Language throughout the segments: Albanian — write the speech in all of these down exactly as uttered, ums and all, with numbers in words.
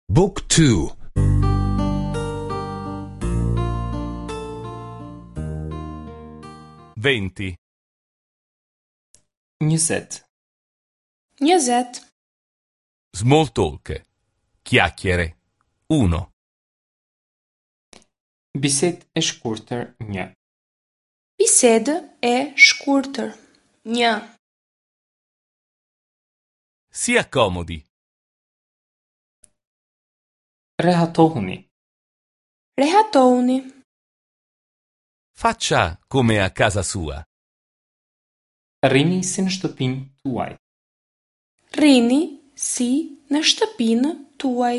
Book two. Venti. Njëzet. Njëzet. Small talk. Chiacchiere. Uno. Bisedë e shkurtër një. Bisedë e shkurtër. Një. Si accomodi. Rehatohuni. Rehatohuni. Faccia come a casa sua. Rrini si në shtëpinë tuaj. Rrini si në shtëpinë tuaj.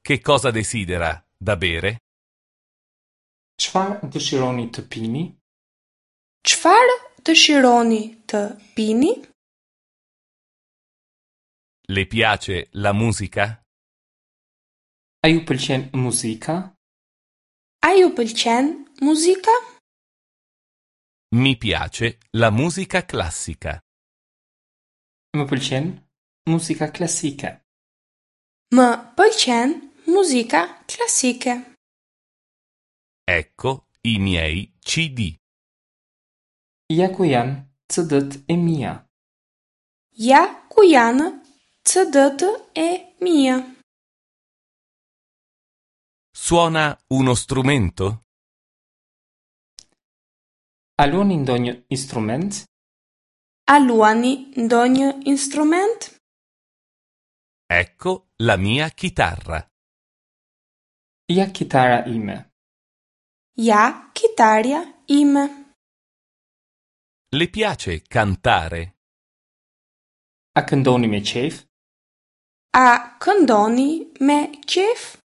Che cosa desidera da bere? Çfarë dëshironi të pini? Çfarë dëshironi të pini? Le piace la musica? A ju pëlqen muzika? A ju pëlqen muzika? Mi piace la musica classica. Më pëlqen muzika klasike. Më pëlqen muzika klasike. Ecco i miei C D. Ja ku janë C D-t e mia. Ja ku janë C D-t e mia. Suona uno strumento? A luani ndonjë instrument? A luani ndonjë instrument? Ecco la mia chitarra. Ja kitara ime. Ja kitarja ime. Le piace cantare? A këndoni me qejf? A këndoni me qejf?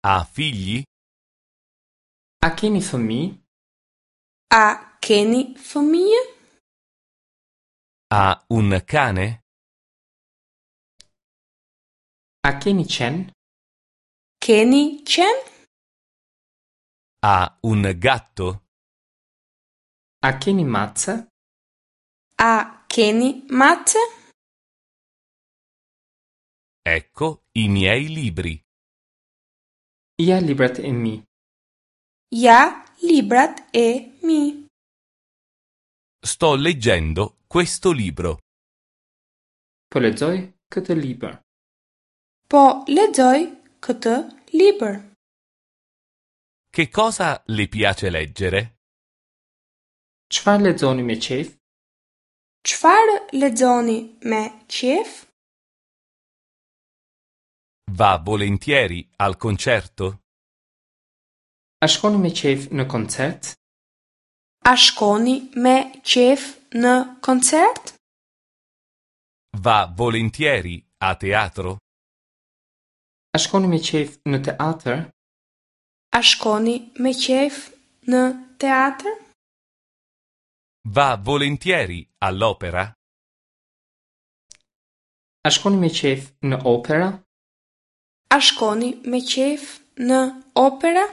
Ha figli? A keni fëmijë? A keni fëmijë? Ha un cane? A keni qen? Keni qen? Ha un gatto? A keni mace? A keni mace? Ecco i miei libri. Ja librat e mi. Ja librat e mi. Sto leggendo questo libro. Po lexoj këtë libër. Po lexoj këtë libër. Che cosa le piace leggere? Çfarë lexoni me qejf? Çfarë lexoni me qejf? Va volentieri al concerto? A shkoni me qejf në koncert? A shkoni me qejf në koncert? Va volentieri a teatro? A shkoni me qejf në teatr? A shkoni me qejf në teatr? Va volentieri all'opera? A shkoni me qejf në opera? A shkoni me qejf në opera?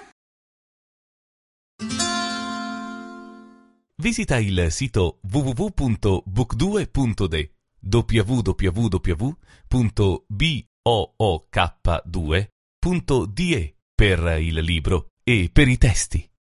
Visita il sito w w w punto book due punto de w w w punto b o o k due punto d e per il libro e per i testi.